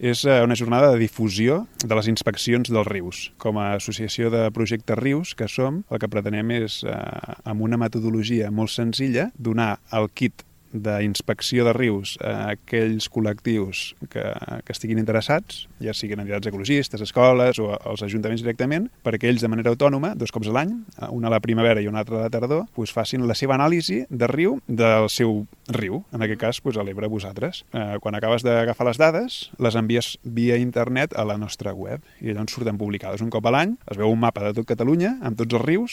és una jornada de difusió de les inspeccions dels rius. Com a associació de projectes rius que som, el que pretenem és, amb una metodologia molt senzilla, donar el kit d'inspecció de rius a aquells col·lectius que estiguin interessats, ja siguin entitats ecologistes, escoles o els ajuntaments directament, perquè ells de manera autònoma, 2 cops a l'any, una a la primavera i una altra a la tardor, facin la seva anàlisi de riu del seu riu, en aquest cas a l'Ebre vosaltres. Quan acabes d'agafar les dades, les envies via internet a la nostra web i llavors surten publicades un cop a l'any, es veu un mapa de tot Catalunya amb tots els rius